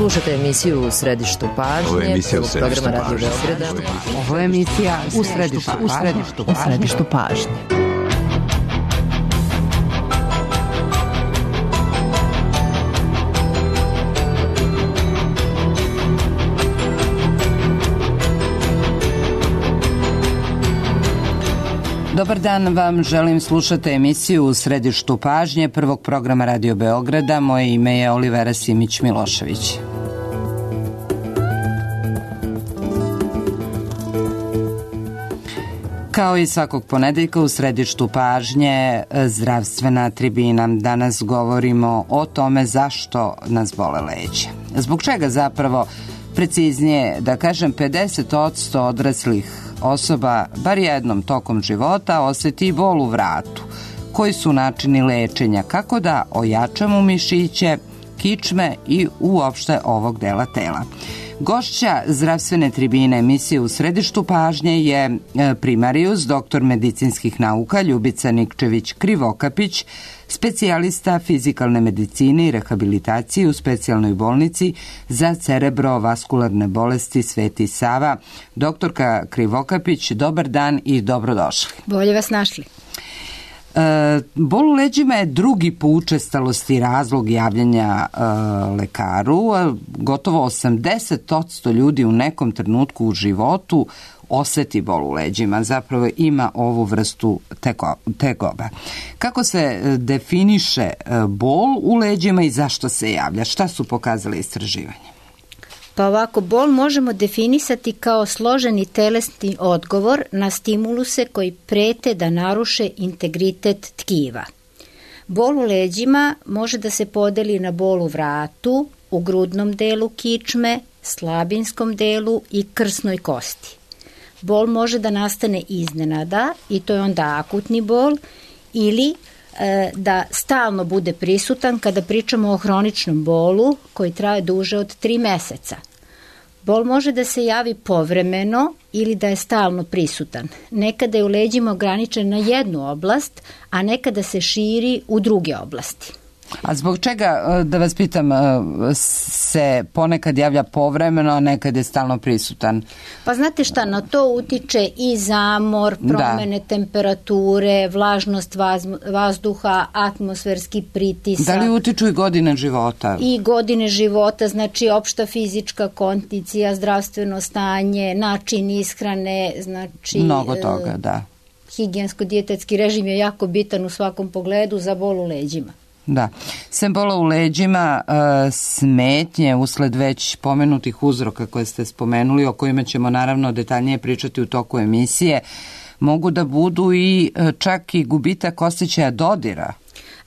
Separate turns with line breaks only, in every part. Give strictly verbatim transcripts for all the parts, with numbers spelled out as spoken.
Slušajte emisiju U središtu pažnje.
Ovo je emisija U središtu
programa Radio
pažnje.
Beograda.
Ovo je emisija U središtu
U središtu pažnje. U središtu pažnje.
Dobar dan vam, želim slušati emisiju U središtu pažnje prvog programa Radio Beograda. Moje ime je Olivera Simić-Milošević. Kao i svakog ponedeljka u središtu pažnje zdravstvena tribina. Danas govorimo o tome zašto nas bole leđa. Zbog čega zapravo, preciznije da kažem, pedeset posto odraslih osoba bar jednom tokom života osjeti bol u vratu. Koji su načini lečenja? Kako da ojačamo mišiće, kičme i uopšte ovog dela tela? Gošća zdravstvene tribine emisije U središtu pažnje je primarijus, doktor medicinskih nauka Ljubica Nikčević-Krivokapić, specijalista fizikalne medicine i rehabilitacije u specijalnoj bolnici za cerebrovaskularne bolesti Sveti Sava. Doktorka Krivokapić, dobar dan i dobrodošli.
Bolje vas našli.
E, bol u leđima je drugi po učestalosti razlog javljanja e, lekaru. Gotovo osamdeset posto ljudi u nekom trenutku u životu osjeti bol u leđima, zapravo ima ovu vrstu teko, tegoba. Kako se definiše bol u leđima i zašto se javlja? Šta su pokazale istraživanja?
Pa ovako, bol možemo definisati kao složeni telesni odgovor na stimuluse koji prete da naruše integritet tkiva. Bol u leđima može da se podeli na bol u vratu, u grudnom delu kičme, slabinskom delu i krsnoj kosti. Bol može da nastane iznenada i to je onda akutni bol, ili e, da stalno bude prisutan kada pričamo o hroničnom bolu koji traje duže od tri meseca. Bol može da se javi povremeno ili da je stalno prisutan. Nekada je u leđima ograničen na jednu oblast, a nekada se širi u druge oblasti.
A zbog čega, da vas pitam, se ponekad javlja povremeno, a nekad je stalno prisutan?
Pa znate šta, na to utiče i zamor, promene da. temperature, vlažnost vaz, vazduha, atmosferski pritisak.
Da li utiču i godine života? I
godine života, znači opšta fizička kondicija, zdravstveno stanje, način ishrane, znači...
Mnogo toga, da.
Higijensko-dijetetski režim je jako bitan u svakom pogledu za bol u leđima.
Da. Sem bola u leđima, smetnje usled već pomenutih uzroka koje ste spomenuli, o kojima ćemo naravno detaljnije pričati u toku emisije, mogu da budu i čak i gubitak osjećaja dodira.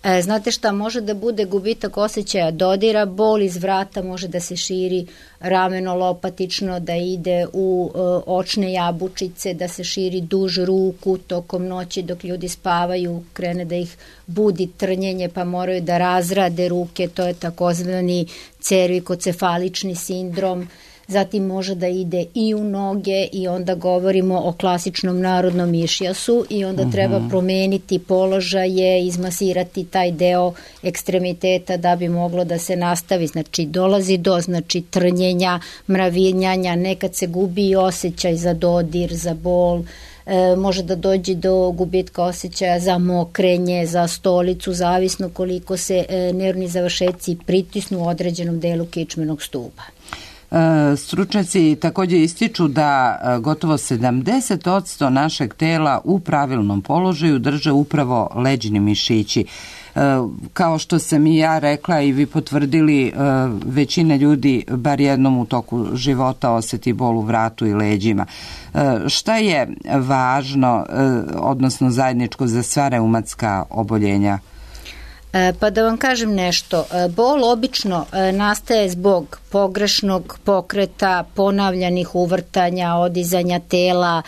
E, znate šta, može da bude gubitak osjećaja dodira, bol iz vrata može da se širi rameno lopatično, da ide u e, očne jabučice, da se širi duž ruku tokom noći dok ljudi spavaju, krene da ih budi trnjenje pa moraju da razrade ruke, to je takozvani cervikocefalični sindrom. Zatim može da ide i u noge i onda govorimo o klasičnom narodnom mišijasu i onda treba promeniti položaje, izmasirati taj deo ekstremiteta da bi moglo da se nastavi. Znači dolazi do znači, trnjenja, mravinjanja, nekad se gubi i osjećaj za dodir, za bol, e, može da dođe do gubitka osjećaja za mokrenje, za stolicu, zavisno koliko se e, nervni završetci pritisnu u određenom delu kičmenog stuba.
Stručnjaci također ističu da gotovo sedamdeset posto našeg tela u pravilnom položaju drže upravo leđni mišići. Kao što sam i ja rekla i vi potvrdili, većina ljudi bar jednom u toku života osjeti bol u vratu i leđima. Šta je važno, odnosno zajedničko za sva reumatska oboljenja?
Pa da vam kažem nešto, bol obično nastaje zbog pogrešnog pokreta, ponavljanih uvrtanja, odizanja tela,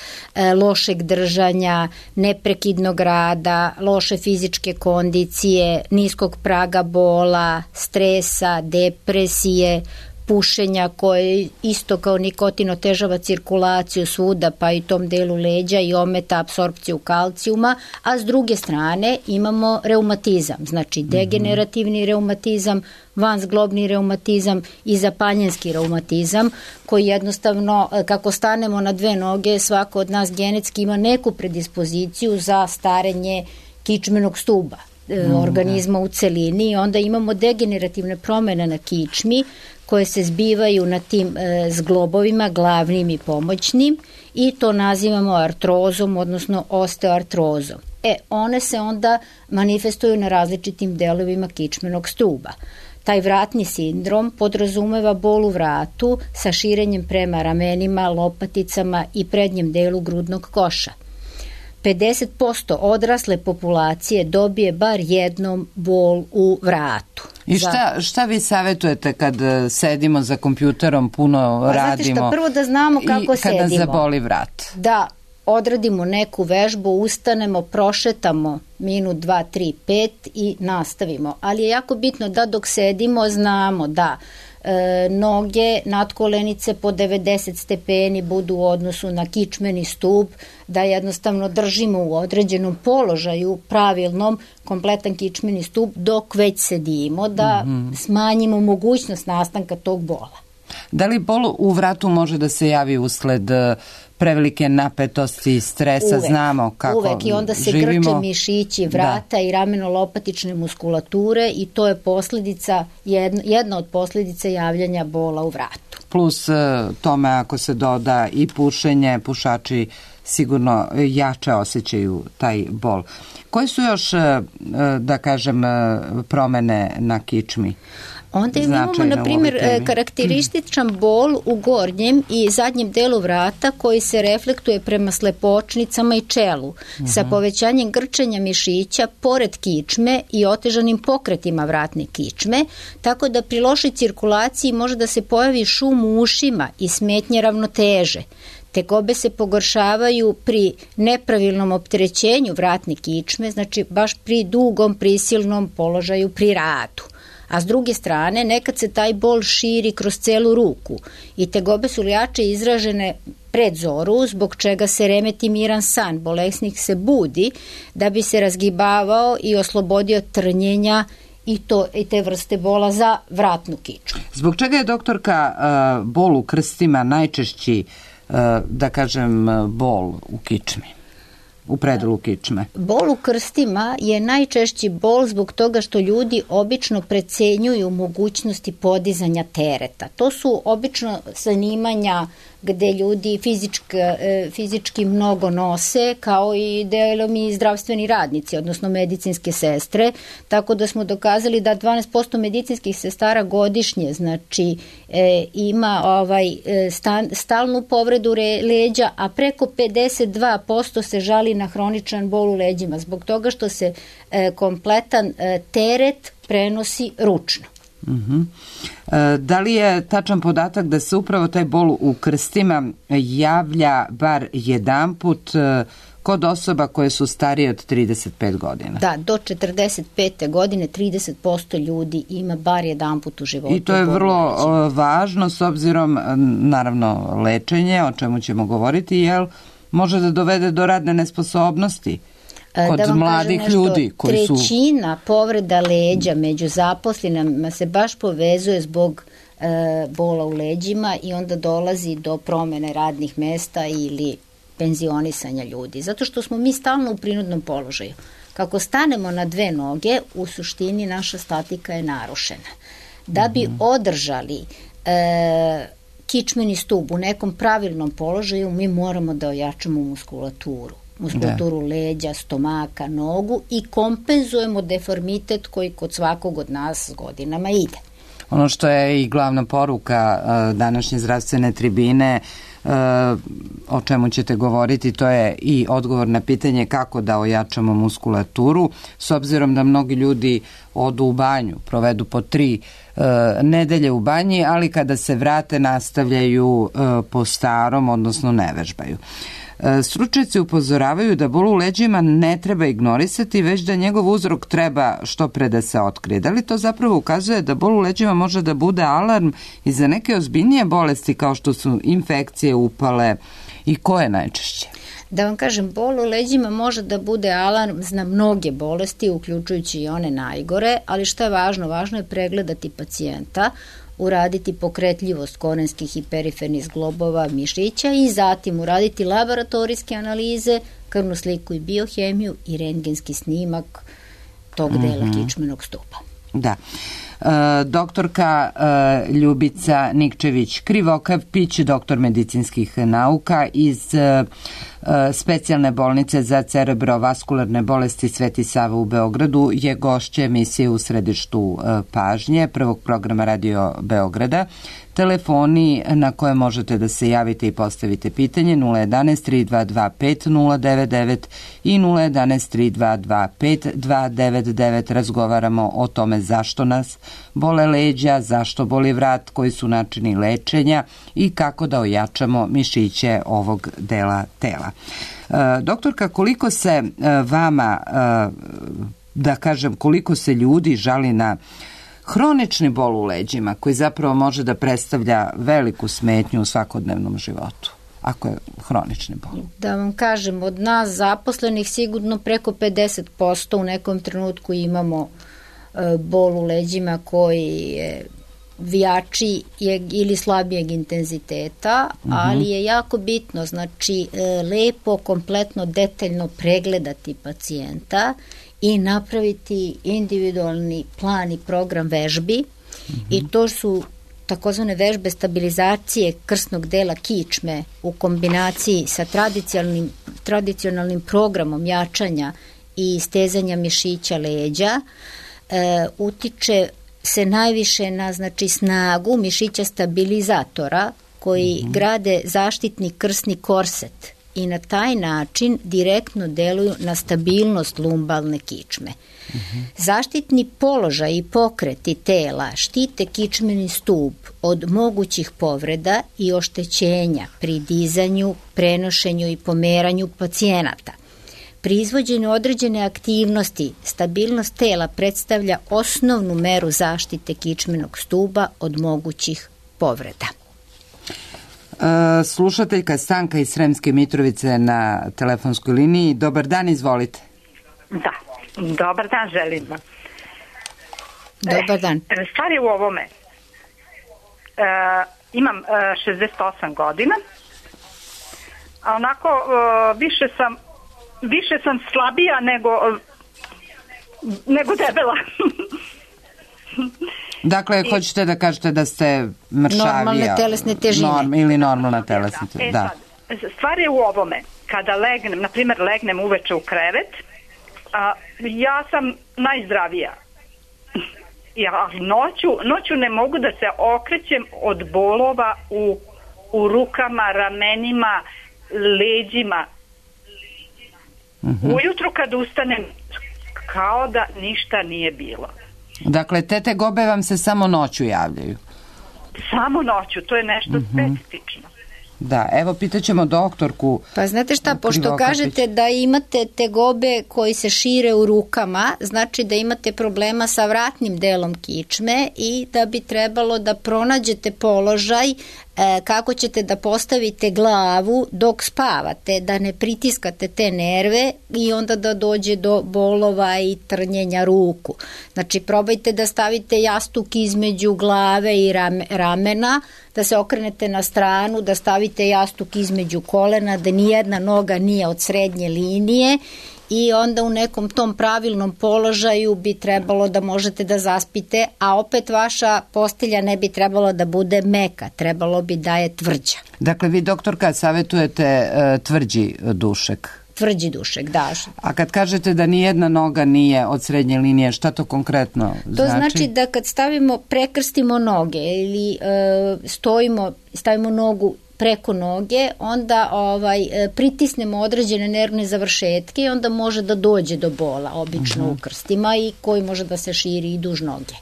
lošeg držanja, neprekidnog rada, loše fizičke kondicije, niskog praga bola, stresa, depresije, pušenja koje isto kao nikotin otežava cirkulaciju svuda pa i tom delu leđa i ometa apsorpciju kalcijuma, a s druge strane imamo reumatizam, znači degenerativni reumatizam, vanzglobni reumatizam i zapaljenski reumatizam koji jednostavno kako stanemo na dve noge svako od nas genetski ima neku predispoziciju za starenje kičmenog stuba organizma u celini i onda imamo degenerativne promene na kičmi koje se zbivaju na tim e, zglobovima, glavnim i pomoćnim i to nazivamo artrozom, odnosno osteoartrozom. E, one se onda manifestuju na različitim delovima kičmenog stuba. Taj vratni sindrom podrazumeva bol u vratu sa širenjem prema ramenima, lopaticama i prednjem delu grudnog koša. pedeset posto odrasle populacije dobije bar jednom bol u vratu.
I šta, šta vi savjetujete kad sedimo za kompjuterom, puno pa, radimo?
Znate šta, prvo da znamo kako
i kada
sedimo.
Zaboli vrat.
Da odradimo neku vežbu, ustanemo, prošetamo minut, dva, tri, pet i nastavimo. Ali je jako bitno da dok sedimo znamo da e, noge, nadkolenice po devedeset stepeni budu u odnosu na kičmeni stup, da jednostavno držimo u određenom položaju, pravilnom, kompletan kičmeni stup dok već sedimo, da mm-hmm. smanjimo mogućnost nastanka tog bola.
Da li bol u vratu može da se javi usled prevelike napetosti, stresa,
uvek,
znamo kako živimo?
Uvek i onda se
živimo.
grče mišići vrata da. I rameno-lopatične muskulature i to je posljedica, jedna, jedna od posljedica javljanja bola u vratu.
Plus tome ako se doda i pušenje, pušači sigurno jače osjećaju taj bol. Koje su još, da kažem, promene na kičmi?
Onda imamo, na primjer, karakterističan bol u gornjem i zadnjem delu vrata koji se reflektuje prema slepočnicama i čelu, uh-huh. sa povećanjem grčenja mišića pored kičme i otežanim pokretima vratne kičme, tako da pri lošoj cirkulaciji može da se pojavi šum u ušima i smetnje ravnoteže. Tegobe se pogoršavaju pri nepravilnom opterećenju vratne kičme, znači baš pri dugom, prisilnom položaju pri radu. A s druge strane, nekad se taj bol širi kroz celu ruku i tegobe su jače izražene pred zoru, zbog čega se remeti miran san, bolesnik se budi da bi se razgibavao i oslobodio trnjenja i, to, i te vrste bola za vratnu kičmu.
Zbog čega je, doktorka, bol u krstima najčešći, da kažem, bol u kičmi? U predelu kičme.
Bol u krstima je najčešći bol zbog toga što ljudi obično precenjuju mogućnosti podizanja tereta. To su obično zanimanja gde ljudi fizički, fizički mnogo nose, kao i delom i zdravstveni radnici, odnosno medicinske sestre, tako da smo dokazali da dvanaest posto medicinskih sestara godišnje, znači e, ima ovaj stan, stalnu povredu re, leđa, a preko pedeset dva posto se žali na hroničan bol u leđima, zbog toga što se e, kompletan e, teret prenosi ručno.
Uh-huh. E, da li je tačan podatak da se upravo taj bol u krstima javlja bar jedanput e, kod osoba koje su starije od trideset pet godina?
Da, do četrdeset pete godine trideset posto ljudi ima bar jedanput u životu.
I to je vrlo o, važno s obzirom, naravno, lečenje, o čemu ćemo govoriti, jel može da dovede do radne nesposobnosti kod da mladih nešto, ljudi koji su...
Trećina povreda leđa među zaposlenima se baš povezuje zbog e, bola u leđima i onda dolazi do promene radnih mesta ili penzionisanja ljudi. Zato što smo mi stalno u prinudnom položaju. Kako stanemo na dve noge, u suštini naša statika je narušena. Da bi mm-hmm. održali e, kičmeni stub u nekom pravilnom položaju, mi moramo da ojačamo muskulaturu. muskulaturu da. leđa, stomaka, nogu i kompenzujemo deformitet koji kod svakog od nas s godinama ide.
Ono što je i glavna poruka uh, današnje zdravstvene tribine, uh, o čemu ćete govoriti, to je i odgovor na pitanje kako da ojačamo muskulaturu, s obzirom da mnogi ljudi odu u banju, provedu po tri uh, nedelje u banji, ali kada se vrate nastavljaju uh, po starom, odnosno ne vežbaju. Stručnjaci upozoravaju da bol u leđima ne treba ignorisati, već da njegov uzrok treba što pre da se otkrije. Da li to zapravo ukazuje da bol u leđima može da bude alarm i za neke ozbiljnije bolesti kao što su infekcije, upale i koje najčešće?
Da vam kažem, bol u leđima može da bude alarm na mnoge bolesti, uključujući i one najgore, ali što je važno? Važno je pregledati pacijenta, uraditi pokretljivost korenskih i perifernih zglobova mišića i zatim uraditi laboratorijske analize, krvnu sliku i biohemiju i rentgenski snimak tog dela mm-hmm. kičmenog stupa.
Da. E, doktorka e, Ljubica Nikčević-Krivokapić, doktor medicinskih nauka iz e, specijalne bolnice za cerebrovaskularne bolesti Sveti Sava u Beogradu, je gošća emisije U središtu e, pažnje prvog programa Radio Beograda. Telefoni na koje možete da se javite i postavite pitanje nula jedanaest tri dva dva pet nula devet devet i nula jedanaest tri dva dva pet dva devet devet. Razgovaramo o tome zašto nas bole leđa, zašto boli vrat, koji su načini lečenja i kako da ojačamo mišiće ovog dela tela. E, doktorka, koliko se e, vama, e, da kažem, koliko se ljudi žali na hronični bol u leđima, koji zapravo može da predstavlja veliku smetnju u svakodnevnom životu, ako je hronični bol?
Da vam kažem, od nas zaposlenih sigurno preko pedeset posto u nekom trenutku imamo e, bol u leđima koji je vijači ili slabijeg intenziteta, mm-hmm. ali je jako bitno, znači e, lepo, kompletno, detaljno pregledati pacijenta i napraviti individualni plan i program vežbi mm-hmm. i to su takozvane vežbe stabilizacije krsnog dela kičme u kombinaciji sa tradicionalnim, tradicionalnim programom jačanja i stezanja mišića leđa. E, utiče se najviše na znači, snagu mišića stabilizatora koji mm-hmm. grade zaštitni krsni korset i na taj način direktno deluju na stabilnost lumbalne kičme. Mm-hmm. Zaštitni položaj i pokreti tela štite kičmeni stup od mogućih povreda i oštećenja pri dizanju, prenošenju i pomeranju pacijenata. Pri izvođenju određene aktivnosti stabilnost tela predstavlja osnovnu meru zaštite kičmenog stuba od mogućih povreda.
Slušateljka Stanka iz Sremske Mitrovice na telefonskoj liniji. Dobar dan, izvolite.
Da, dobar dan želim vam.
Dobar dan.
E, stvar je u ovome. E, imam e, šezdeset osam godina, a onako e, više sam više sam slabija nego nego debela.
Dakle, I, hoćete da kažete da ste mršavija.
Normalne telesne težine. Norm,
ili normalna telesna težina. Da.
E sad, stvar je u ovome. Kada legnem, na primjer legnem uveče u krevet, a, ja sam najzdravija. Ja noću, noću ne mogu da se okrećem od bolova u, u rukama, ramenima, leđima. Mm-hmm. Ujutru kad ustanem, kao da ništa nije bilo.
Dakle, te tegobe vam se samo noću javljaju? Samo
noću, to je nešto mm-hmm. specifično.
Da, evo pitaćemo doktorku.
Pa znate šta, pošto kažete da imate tegobe koji se šire u rukama, znači da imate problema sa vratnim delom kičme i da bi trebalo da pronađete položaj e, kako ćete da postavite glavu dok spavate, da ne pritiskate te nerve i onda da dođe do bolova i trnjenja ruku. Znači probajte da stavite jastuk između glave i rame, ramena, da se okrenete na stranu, da stavite jastuk između kolena, da nijedna noga nije od srednje linije i onda u nekom tom pravilnom položaju bi trebalo da možete da zaspite, a opet vaša postelja ne bi trebalo da bude meka, trebalo bi da je tvrđa.
Dakle, vi doktorka savjetujete uh, tvrđi dušek.
Tvrđi dušek, da.
A kad kažete da ni jedna noga nije od srednje linije, šta to konkretno znači?
To znači da kad stavimo, prekrstimo noge ili e, stojimo, stavimo nogu preko noge, onda ovaj, pritisnemo određene nervne završetke i onda može da dođe do bola, obično uh-huh. u krstima i koji može da se širi i duž noge.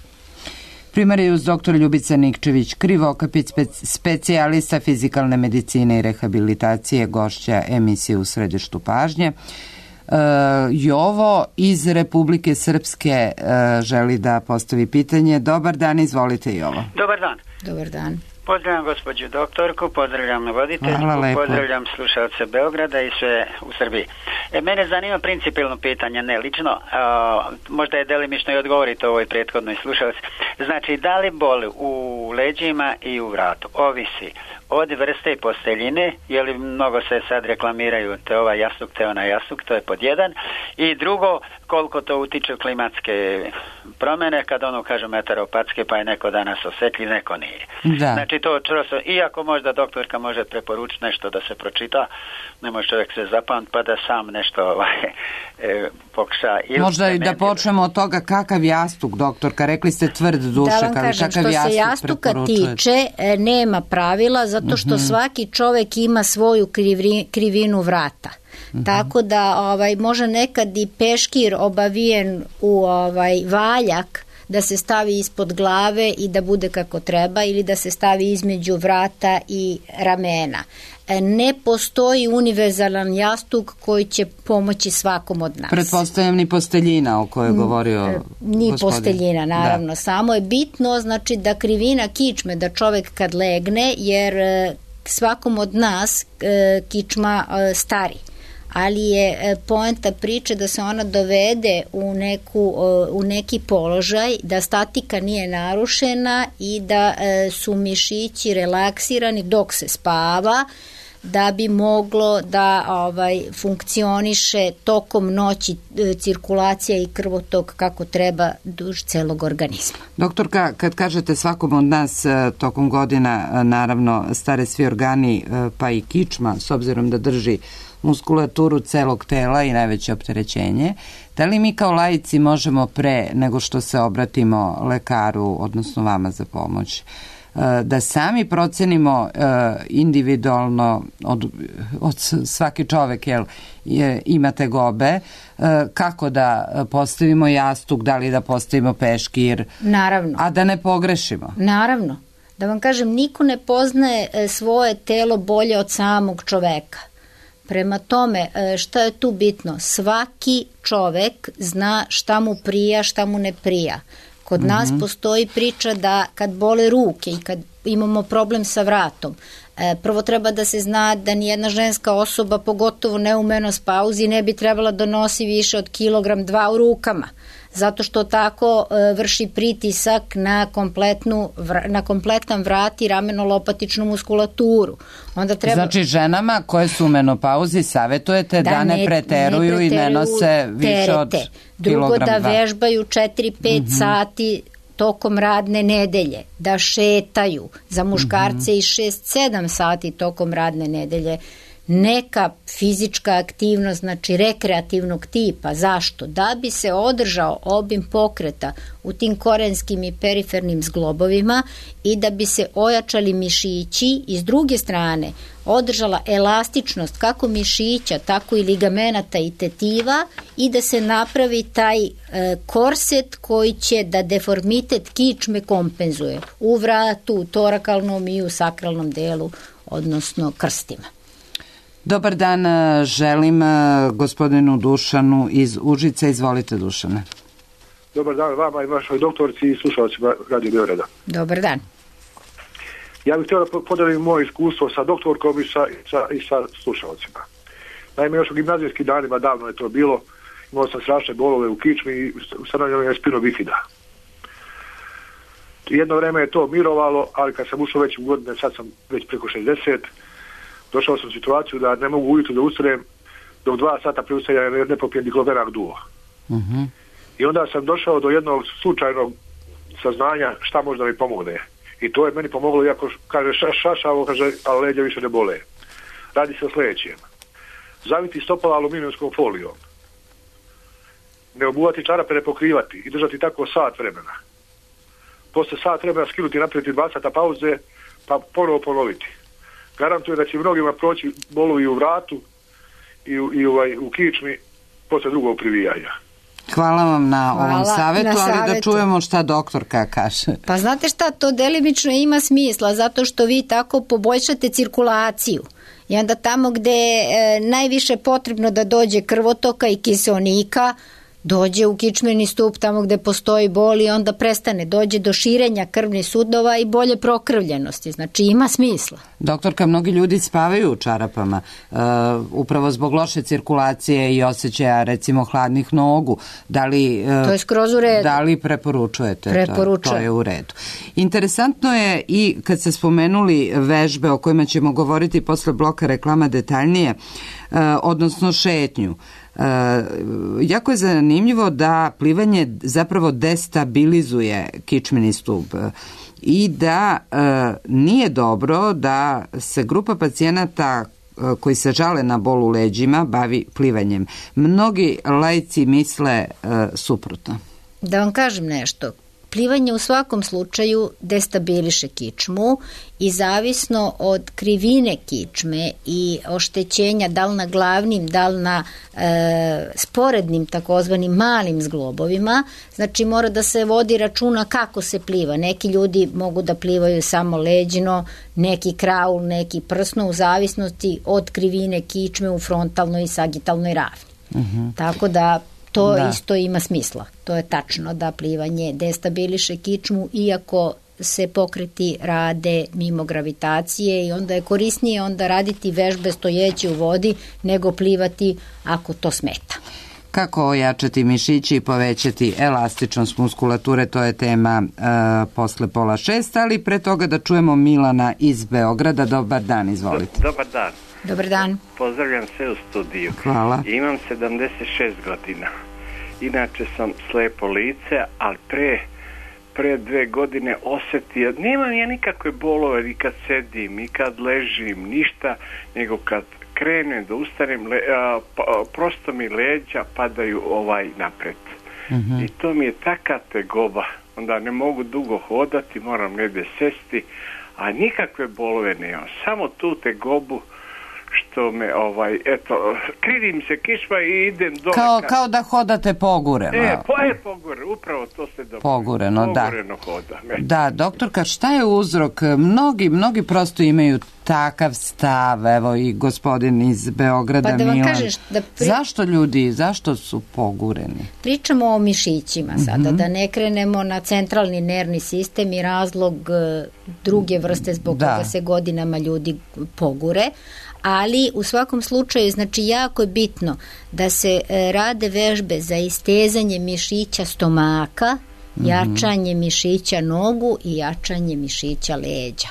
Primarijus doktor Ljubica Nikčević Krivokapit, specijalista fizikalne medicine i rehabilitacije, gošća emisije U središtu pažnje. Uh, Jovo iz Republike Srpske uh, želi da postavi pitanje. Dobar dan, izvolite Jovo.
Dobar dan.
Dobar dan.
Pozdravljam gospođu doktorku, pozdravljam voditeljku, pozdravljam slušalce Beograda i sve u Srbiji. E, mene zanima principijelno pitanje, ne lično, a, možda je delimično i odgovorite ovoj prethodnoj slušalci. Znači, da li boli u leđima i u vratu ovisi od vrste i posteljine, je li mnogo se sad reklamiraju te ovaj jastuk, te onaj jastuk, to je pod jedan. I drugo, koliko to utiče klimatske promjene, kad ono kažu meteoropatske, pa je neko danas osjetljiv, neko nije. Da. Znači to črosto, iako možda doktorka može preporučiti nešto da se pročita, ne može čovjek se zapamti pa da sam nešto ovaj, e, pokuša.
Možda i da počnemo od toga kakav jastuk, doktorka, rekli ste tvrd duše,
da vam kažem,
kakav
što se jastuka tiče, nema pravila, zato što uh-huh. svaki čovjek ima svoju krivri, krivinu vrata. Uh-huh. Tako da ovaj, može nekad i peškir obavijen u ovaj, valjak da se stavi ispod glave i da bude kako treba, ili da se stavi između vrata i ramena. Ne postoji univerzalan jastuk koji će pomoći svakom od nas.
Pretpostavljam ni posteljina o kojoj je govorio
Ni
gospodin.
posteljina, naravno. Da. Samo je bitno, znači, da krivina kičme, da čovjek kad legne, jer svakom od nas kičma stari. Ali je poenta priče da se ona dovede u, neku, u neki položaj, da statika nije narušena i da su mišići relaksirani dok se spava, da bi moglo da ovaj, funkcioniše tokom noći cirkulacija i krvotok kako treba duž celog organizma.
Doktorka, kad kažete svakom od nas tokom godina, naravno, stare svi organi, pa i kičma, s obzirom da drži muskulaturu celog tela i najveće opterećenje, da li mi kao laici možemo pre nego što se obratimo lekaru, odnosno vama za pomoć, da sami procenimo individualno od, od svaki čovek jel, je, ima tegobe, kako da postavimo jastuk, da li da postavimo peškir,
naravno,
a da ne pogrešimo?
Naravno. Da vam kažem, niko ne poznaje svoje telo bolje od samog čoveka. Prema tome, šta je tu bitno? Svaki čovek zna šta mu prija, šta mu ne prija. Kod mm-hmm. nas postoji priča da kad bole ruke i kad imamo problem sa vratom, prvo treba da se zna da nijedna ženska osoba, pogotovo ne u menopauzi, ne bi trebala da nosi više od kilogram dva u rukama, zato što tako vrši pritisak na, kompletnu, na kompletan vrat i rameno-lopatičnu muskulaturu. Onda treba... Znači
ženama koje su u menopauzi savjetujete da, da ne, ne preteruju ne i ne nose više terete. Od
Drugo,
kilogram
da vežbaju četiri pet mm-hmm. sati tokom radne nedelje, da šetaju, za muškarce mm-hmm. i šest sedam sati tokom radne nedelje. Neka fizička aktivnost, znači rekreativnog tipa. Zašto? Da bi se održao obim pokreta u tim korenskim i perifernim zglobovima i da bi se ojačali mišići i s druge strane održala elastičnost kako mišića, tako i ligamenata i tetiva i da se napravi taj e, korset koji će da deformitet kičme kompenzuje u vratu, u torakalnom i u sakralnom delu, odnosno krstima.
Dobar dan, želim gospodinu Dušanu iz Užica. Izvolite, Dušane.
Dobar dan vama i vašoj doktorci i slušalcima Radio Beograda.
Dobar dan.
Ja bih htio da podelim moje iskustvo sa doktorkom i sa, i sa, i sa slušalcima. Naime, još u gimnazijskim danima, davno je to bilo, imao sam strašne bolove u kičmi i ustanovljeno je spino bifida. Jedno vreme je to mirovalo, ali kad sam ušao već u godine, sad sam već preko šezdeset, došao sam u situaciju da ne mogu ujutro da ustanem dok dva sata pre ustajanja ne popijem diklovenak duo. Uh-huh. I onda sam došao do jednog slučajnog saznanja šta može da mi pomogne. I to je meni pomoglo, iako kaže ša, šašavo, kaže, ali leđa više ne bole. Radi se o sljedećem. Zaviti stopala aluminijumskom folijom. Ne obuvati čarape, ne pokrivati i držati tako sat vremena. Posle sat vremena skinuti, napraviti dva sata pauze, pa ponovo ponoviti. Garantuje da će mnogima proći bolovi u vratu i u, i ovaj, u kičmi posle drugog privijanja.
Hvala vam na
Hvala
ovom savjetu,
na
ali
savjetu.
da čujemo šta doktorka kaže.
Pa znate šta, to delimično ima smisla, zato što vi tako poboljšate cirkulaciju. I onda tamo gde je najviše potrebno da dođe krvotoka i kiseonika, dođe u kičmeni stup tamo gde postoji bol i onda prestane, dođe do širenja krvnih sudova i bolje prokrvljenosti. Znači ima smisla.
Doktorka, mnogi ljudi spavaju u čarapama uh, upravo zbog loše cirkulacije i osjećaja recimo hladnih nogu. Da li, uh,
to je skroz u redu.
Da li preporučujete?
Preporučujem.
To, to je u redu. Interesantno je i kad ste spomenuli vežbe o kojima ćemo govoriti posle bloka reklama detaljnije, uh, odnosno šetnju. Uh, jako je zanimljivo da plivanje zapravo destabilizuje kičmeni stup i da uh, nije dobro da se grupa pacijenata uh, koji se žale na bol u leđima bavi plivanjem. Mnogi laici misle uh, suprotno.
Da vam kažem nešto. Plivanje u svakom slučaju destabiliše kičmu i zavisno od krivine kičme i oštećenja da li na glavnim, da li na e, sporednim takozvanim malim zglobovima, znači mora da se vodi računa kako se pliva. Neki ljudi mogu da plivaju samo leđino, neki kraul, neki prsno, u zavisnosti od krivine kičme u frontalnoj i sagitalnoj ravni. Uh-huh. Tako da to da. Isto ima smisla. To je tačno da plivanje destabiliše kičmu iako se pokreti rade mimo gravitacije i onda je korisnije onda raditi vežbe stojeći u vodi nego plivati ako to smeta.
Kako ojačati mišići i povećati elastičnost muskulature, to je tema e, posle pola šest, ali pre toga da čujemo Milana iz Beograda. Dobar dan, izvolite.
Dobar dan.
Dobar dan.
Pozdravljam sve u studiju.
Hvala.
Imam sedamdeset šest godina. Inače sam slepo lice, ali pre, pre dve godine osetio, nemam ja nikakve bolove ni kad sedim, ni kad ležim, ništa, nego kad krenem da ustanem, le, a, pa, prosto mi leđa padaju ovaj napred. Uh-huh. I to mi je taka tegoba. Onda ne mogu dugo hodati, moram negdje sesti, a nikakve bolove nemam. Samo tu tegobu što me, ovaj, eto, krivim se kičma i idem dole.
Kao, kao da hodate pogureno.
E, po, e, pogure, upravo to se dobro.
Pogureno, da.
Pogureno hoda. Me.
Da, doktorka, šta je uzrok? Mnogi, mnogi prosto imaju takav stav, evo i gospodin iz Beograda,
pa da vam
Milan.
Kažeš, da pri...
Zašto ljudi, zašto su pogureni?
Pričamo o mišićima sada, mm-hmm. da ne krenemo na centralni nervni sistem i razlog druge vrste zbog da. Koga se godinama ljudi pogure, ali u svakom slučaju, znači jako je bitno da se rade vežbe za istezanje mišića stomaka, mm-hmm. jačanje mišića nogu i jačanje mišića leđa.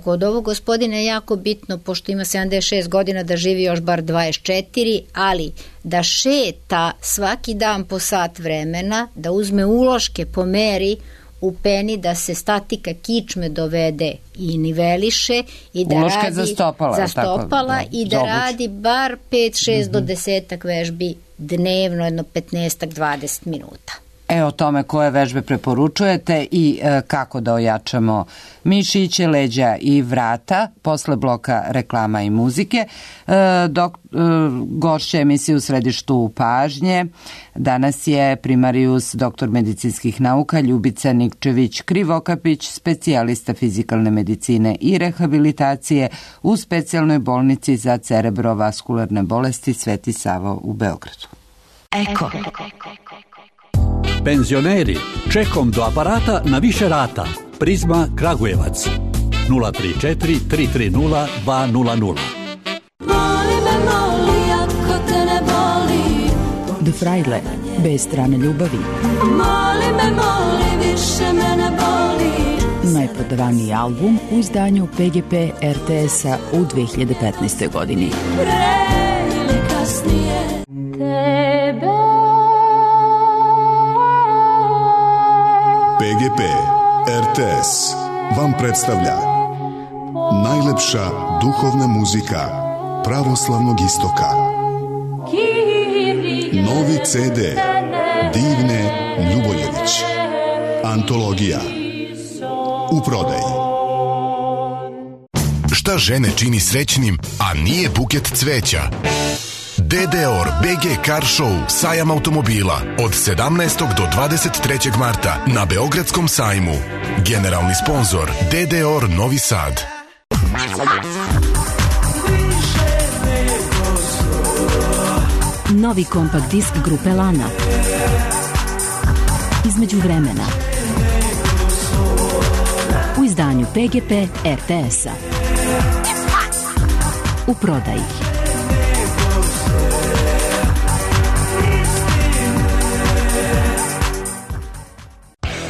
Kod ovog gospodina je jako bitno, pošto ima sedamdeset šest godina, da živi još bar dvadeset četiri, ali da šeta svaki dan po sat vremena, da uzme uloške po meri u peni, da se statika kičme dovede i niveliše i da
uloške
radi
za stopala,
za stopala tako, da, i da radi bar pet šest mm-hmm. do desetak vežbi dnevno, jedno petnaest do dvadeset minuta.
E, o tome koje vežbe preporučujete i e, kako da ojačamo mišiće, leđa i vrata posle bloka reklama i muzike. E, dok, e, gošća emisije u središtu pažnje danas je primarijus doktor medicinskih nauka Ljubica Nikčević-Krivokapić, specijalista fizikalne medicine i rehabilitacije u specijalnoj bolnici za cerebrovaskularne bolesti Sveti Savo u Beogradu.
Eko.
Penzioneri, čekom do aparata na više rata. Prizma Kragujevac. nula tri četiri tri tri nula dva nula nula.
Moli me, moli, ako te ne boli.
De Frajle, bez strane ljubavi.
Moli me, moli, više me ne boli.
Najprodavaniji album u izdanju P G P R T S-a u dve hiljade petnaestoj godini.
Pre ili kasnije tebe.
P G P R T S vam predstavlja najlepša duhovna muzika pravoslavnog istoka. Novi C D Divne Ljuboljević. Antologija. U prodaji.
Šta žene čini srećnim, a nije buket cveća? D D O R B G Car Show sajam automobila od sedamnaestog do dvadeset trećeg marta na Beogradskom sajmu. Generalni sponzor D D O R Novi Sad.
Novi kompakt disk grupe Lana. Između vremena. U izdanju P G P R T S-a. U prodaji.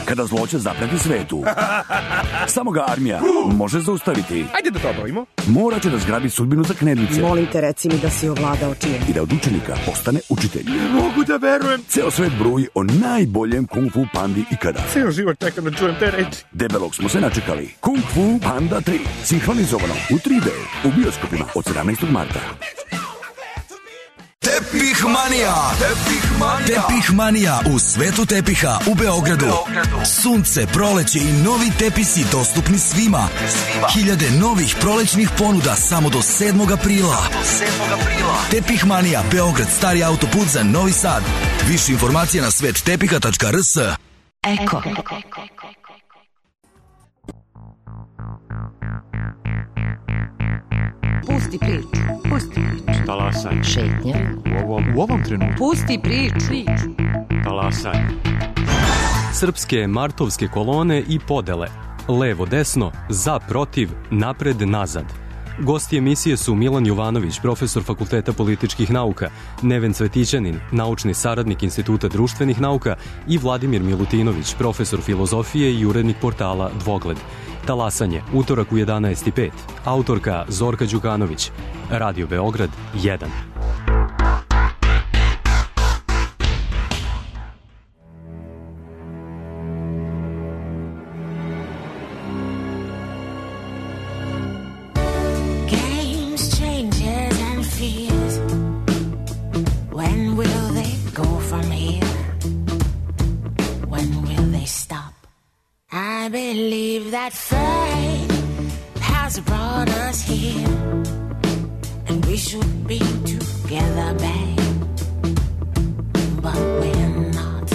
Kada zloće zapreti svetu, samo ga armija može zaustaviti.
Ajde da to obavimo.
Morat će da zgrabi sudbinu za knedlice.
Molim te, reci mi da si ovladao čijem.
I da od učenika postane učitelj.
Ne mogu da verujem.
Ceo svet bruji o najboljem kung fu pandi ikada.
Ceo život čekam da čujem te reči.
Debelog smo se načekali. Kung Fu Panda tri. Sinhronizovano u tri D. U bioskopima od sedamnaestog marta.
Tepih Manija. Tepih Manija. Tepih Manija u svetu tepiha u Beogradu. Beogradu. Sunce, proleće i novi tepisi dostupni svima. svima. Hiljade novih prolećnih ponuda samo do sedmog aprila. Do sedmog aprila. Tepih Manija, Beograd, stari autoput za Novi Sad. Više informacija na svet tepiha tačka r s.
Eko.
Pusti priču. Pusti priču.
Talasaj.
Šetnja.
U ovom, u ovom trenutku.
Pusti priču.
Talasaj. Srpske martovske kolone i podele. Levo, desno, za, protiv, napred, nazad. Gosti emisije su Milan Jovanović, profesor Fakulteta političkih nauka, Neven Cvetićanin, naučni saradnik Instituta društvenih nauka i Vladimir Milutinović, profesor filozofije i urednik portala Dvogled. Talasanje, utorak u jedanaest i pet. Autorka Zorka Đukanović. Radio Beograd jedan.
I believe that fate has brought us here, and we should be together, babe, but we're not.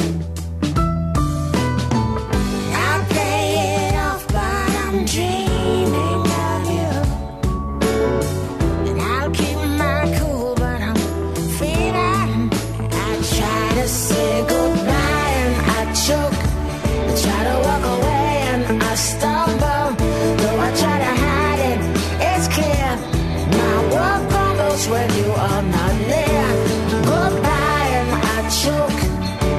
I play it off, but I'm dreaming of you, and I'll keep my cool, but I'm feeling. I try to say goodbye and I choke, I try to walk away, I stumble, though I try to hide it, it's clear. My world crumbles when you are not near. Goodbye and I choke,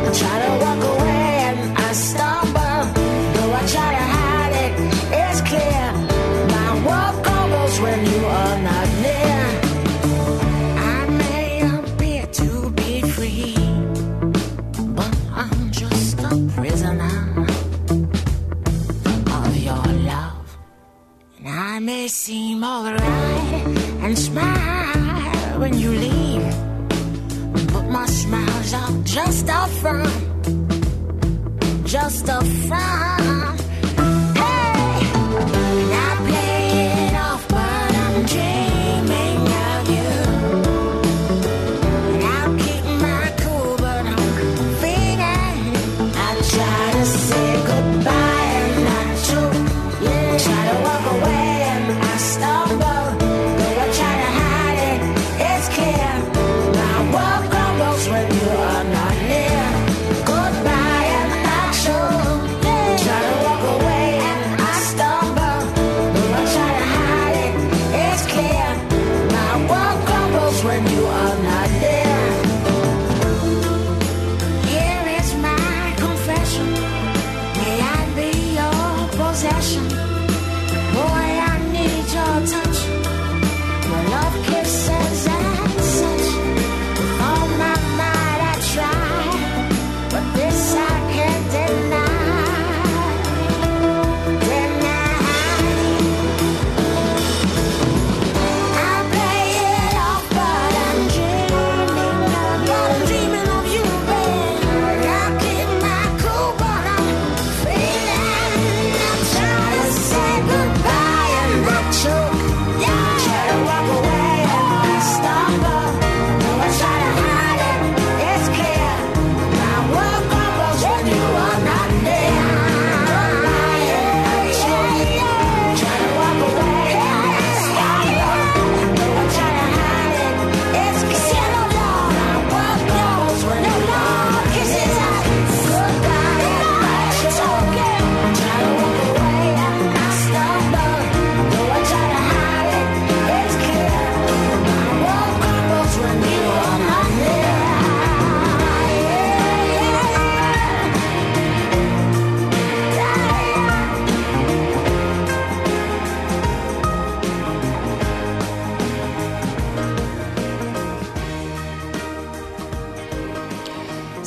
I try to walk away and I stumble, though I try to hide it, it's clear. My world crumbles when you are not near. I may appear to be free, but I'm just a prisoner. I may seem alright and smile when you leave, but my smiles are just a front, just a front. Hey, and I play it off, but I'm dreaming of you, and I'll keep my cool, but I'm feeling. I try to say goodbye and I choke, yeah, try to walk away. When you are not near, goodbye and I choke. Try to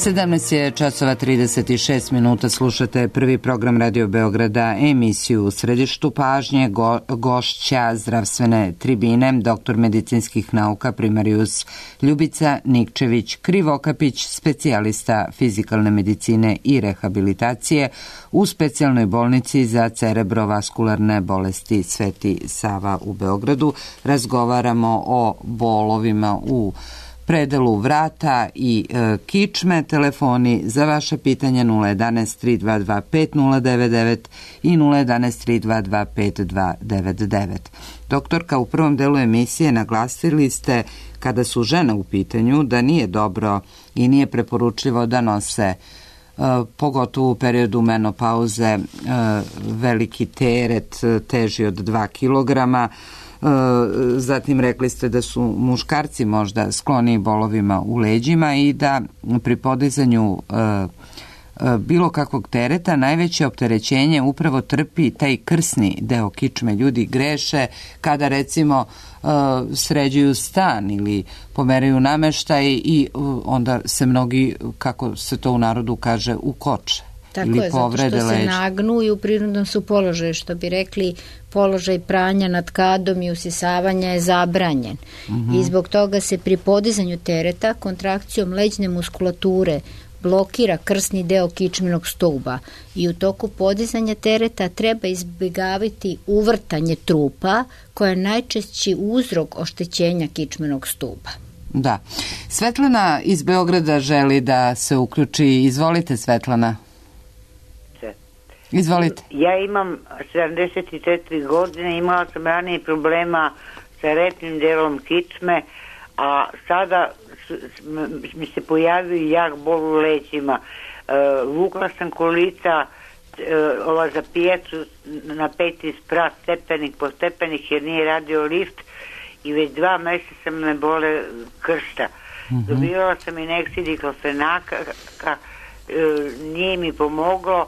sedamnaest je časova trideset šest minuta, slušate prvi program Radio Beograda, emisiju u središtu pažnje, go, gošća zdravstvene tribine, doktor medicinskih nauka primarijus Ljubica Nikčević Krivokapić, specijalista fizikalne medicine i rehabilitacije u specijalnoj bolnici za cerebrovaskularne bolesti Sveti Sava u Beogradu. Razgovaramo o bolovima u predelu vrata i e, kičme. Telefoni za vaše pitanja nula jedanaest tri dva dva pet nula devet devet i nula jedanaest tri dva dva pet dva devet devet. Doktorka, u prvom delu emisije naglasili ste, kada su žene u pitanju, da nije dobro i nije preporučljivo da nose e, pogotovo u periodu menopauze e, veliki teret teži od dva kilograma. Zatim rekli ste da su muškarci možda skloni bolovima u leđima i da pri podizanju bilo kakvog tereta najveće opterećenje upravo trpi taj krsni deo kičme. Ljudi greše kada recimo sređuju stan ili pomeraju nameštaj i onda se mnogi, kako se to u narodu kaže, ukoče.
Tako je, zato što se leđa nagnu i u prirodnom su položaju, što bi rekli, položaj pranja nad kadom i usisavanja je zabranjen. Uh-huh. I zbog toga se pri podizanju tereta kontrakcijom leđne muskulature blokira krsni deo kičmenog stuba i u toku podizanja tereta treba izbjegavati uvrtanje trupa koja je najčešći uzrok oštećenja kičmenog stuba.
Da. Svetlana iz Beograda želi da se uključi. Izvolite, Svetlana. Izvolite.
Ja imam sedamdeset četiri godine, imala sam ranije problema sa repnim delom kičme, a sada mi se pojavio jak bol u leđima. E, vukla sam kolica e, ova za pijacu na peti sprat, stepenik po stepenik, jer nije radio lift i već dva mjeseca me bole kršta. Mm-hmm. Dobivala sam injekciju diklofenaka, e, nije mi pomoglo.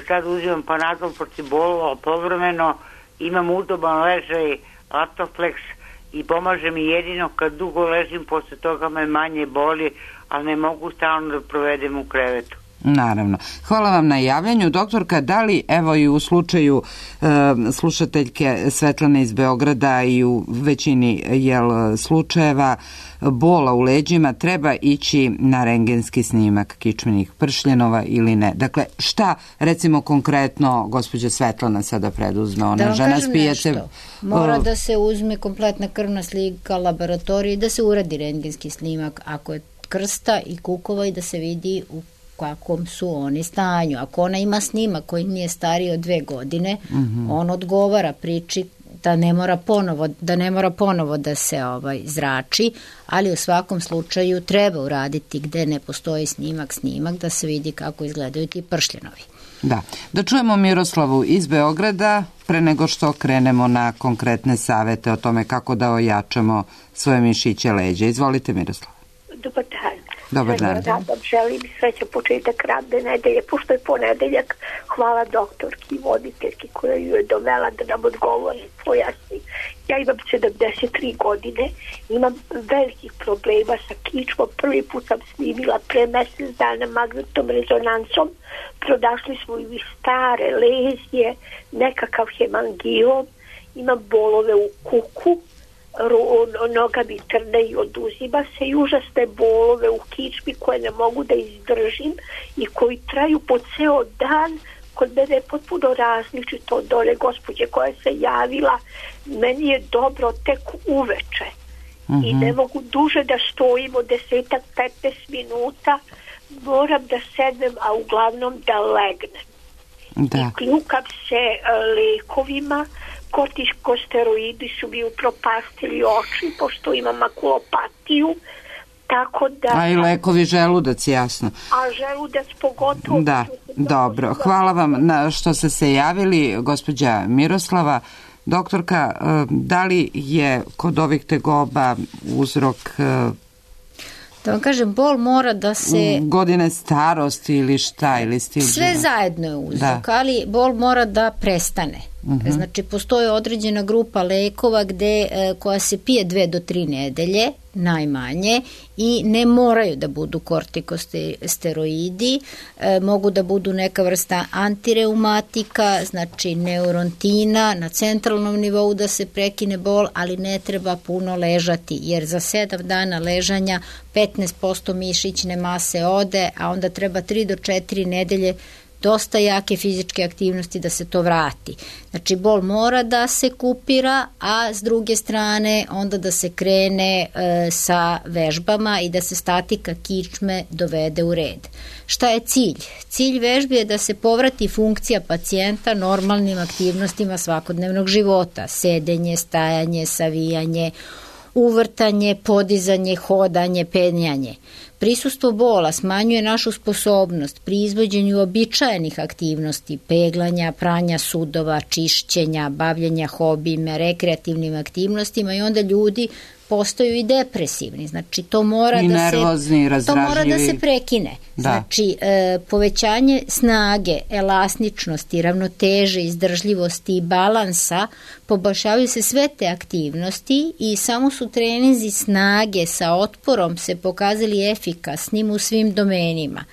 Sad uzimam Panadol protiv bolova povremeno, imam udoban ležaj Atoflex i pomaže mi jedino kad dugo ležim, posle toga me manje boli, ali ne mogu stalno da provedem u krevetu.
Naravno. Hvala vam na javljanju. Doktorka, da li, evo i u slučaju e, slušateljke Svetlane iz Beograda i u većini jel, slučajeva bola u leđima treba ići na rengenski snimak kičmenih pršljenova ili ne? Dakle, šta recimo konkretno gospođa Svetlana sada preduzme? Ona
da
žena spijete...
Mora da se uzme kompletna krvna slika laboratorije i da se uradi rengenski snimak ako je krsta i kukova i da se vidi u kakvom su oni stanju. Ako ona ima snimak koji nije stariji od dve godine, mm-hmm. on odgovara priči da ne mora ponovo da ne mora ponovo da se ovaj zrači, ali u svakom slučaju treba uraditi gde ne postoji snimak, snimak da se vidi kako izgledaju ti pršljenovi.
Da. Da čujemo Miroslavu iz Beograda pre nego što krenemo na konkretne savete o tome kako da ojačamo svoje mišiće leđa. Izvolite, Miroslava.
Dobar dan.
Dobar dan.
Radom, želim srećan početak radne nedelje, pošto je ponedeljak. Hvala doktorki i voditeljki koja ju je dovela da nam odgovori, pojasni. Ja imam sedamdeset tri godine, imam velikih problema sa kičmom. Prvi put sam snimila pre mesec dana magnetnom rezonancom. Pronašli smo i stare lezije, nekakav hemangiom, imam bolove u kuku, noga mi trne i oduzima se i užasne bolove u kičmi koje ne mogu da izdržim i koji traju po ceo dan. Kod mene je potpuno različito od one gospođe koja se javila. Meni je dobro tek uveče. Mm-hmm. I ne mogu duže da stojim od desetak, petnaest minuta. Moram da sednem, a uglavnom da legnem.
Da.
I kljukam se lekovima. Kortikosteroidi su mi upropastili oči, pošto imam makulopatiju, tako da...
A i lekovi želudac, jasno.
A želudac pogotovo...
Da, dobro. Hvala vam na što ste se javili, gospođa Miroslava. Doktorka, da li je kod ovih tegoba uzrok...
Da vam kažem, bol mora da se...
Godine starosti ili šta? Ili stil
sve
života?
Zajedno je uzrok, da. Ali bol mora da prestane. Uh-huh. Znači, postoji određena grupa lekova gde, koja se pije dve do tri nedelje, najmanje, i ne moraju da budu kortikosteroidi, e, mogu da budu neka vrsta antireumatika, znači neurontina, na centralnom nivou da se prekine bol, ali ne treba puno ležati, jer za sedam dana ležanja petnaest posto mišićne mase ode, a onda treba tri do četiri nedelje dosta jake fizičke aktivnosti da se to vrati. Znači, bol mora da se kupira, a s druge strane onda da se krene e, sa vežbama i da se statika kičme dovede u red. Šta je cilj? Cilj vežbi je da se povrati funkcija pacijenta normalnim aktivnostima svakodnevnog života. Sedenje, stajanje, savijanje, uvrtanje, podizanje, hodanje, penjanje. Prisustvo bola smanjuje našu sposobnost pri izvođenju običajenih aktivnosti, peglanja, pranja sudova, čišćenja, bavljenja hobijima, rekreativnim aktivnostima, i onda ljudi postaju i depresivni. Znači, to mora,
I
da,
nervozni,
se, to mora da se prekine. Da. Znači, e, povećanje snage, elastičnosti, ravnoteže, izdržljivosti i balansa, poboljšavaju se sve te aktivnosti i samo su treninzi snage sa otporom se pokazali efikasnim u svim domenima.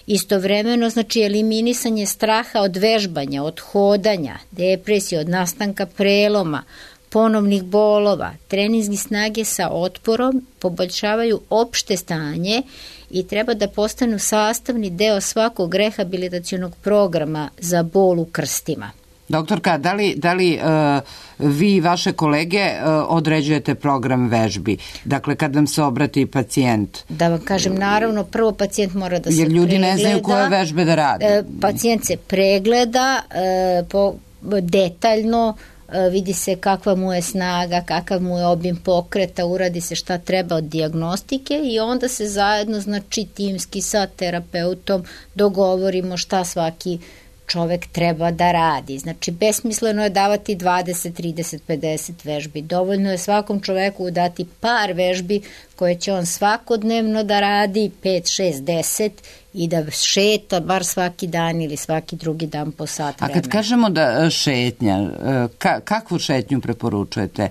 Istovremeno, znači, eliminisanje straha od vežbanja, od hodanja, depresije, od nastanka preloma, ponovnih bolova, treninzi snage sa otporom poboljšavaju opšte stanje i treba da postanu sastavni deo svakog rehabilitacionog programa za bol u krstima.
Doktorka, da li, da li uh, vi i vaše kolege uh, određujete program vežbi? Dakle, kad vam se obrati pacijent?
Da vam kažem, naravno, prvo pacijent mora da se
Jer ljudi
pregleda.
ne znaju koje vežbe da rade.
Pacijent se pregleda uh, po, detaljno, vidi se kakva mu je snaga, kakav mu je obim pokreta, uradi se šta treba od dijagnostike i onda se zajedno, znači, timski sa terapeutom dogovorimo šta svaki čovek treba da radi. Znači, besmisleno je davati dvadeset, trideset, pedeset vežbi. Dovoljno je svakom čoveku dati par vežbi koje će on svakodnevno da radi, pet, šest, deset, i da šeta bar svaki dan ili svaki drugi dan po sat vremena.
A kad kažemo da šetnja, ka, kakvu šetnju preporučujete? E,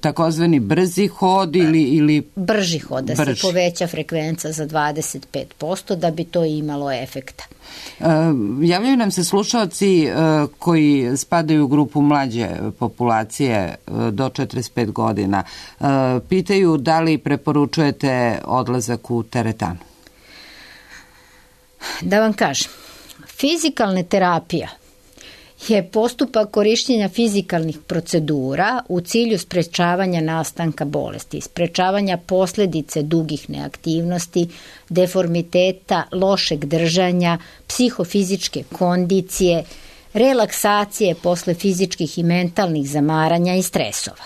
takozvani brzi hod ili... ili...
Brži hod, da
Brži.
se poveća frekvenca za dvadeset pet posto da bi to imalo efekta.
E, javljaju nam se slušalci e, koji spadaju u grupu mlađe populacije e, do četrdeset pet godina. E, pitaju da li preporučujete odlazak u teretanu?
Da vam kažem, fizikalna terapija je postupak korišćenja fizikalnih procedura u cilju sprečavanja nastanka bolesti, sprečavanja posledice dugih neaktivnosti, deformiteta, lošeg držanja, psihofizičke kondicije, relaksacije posle fizičkih i mentalnih zamaranja i stresova.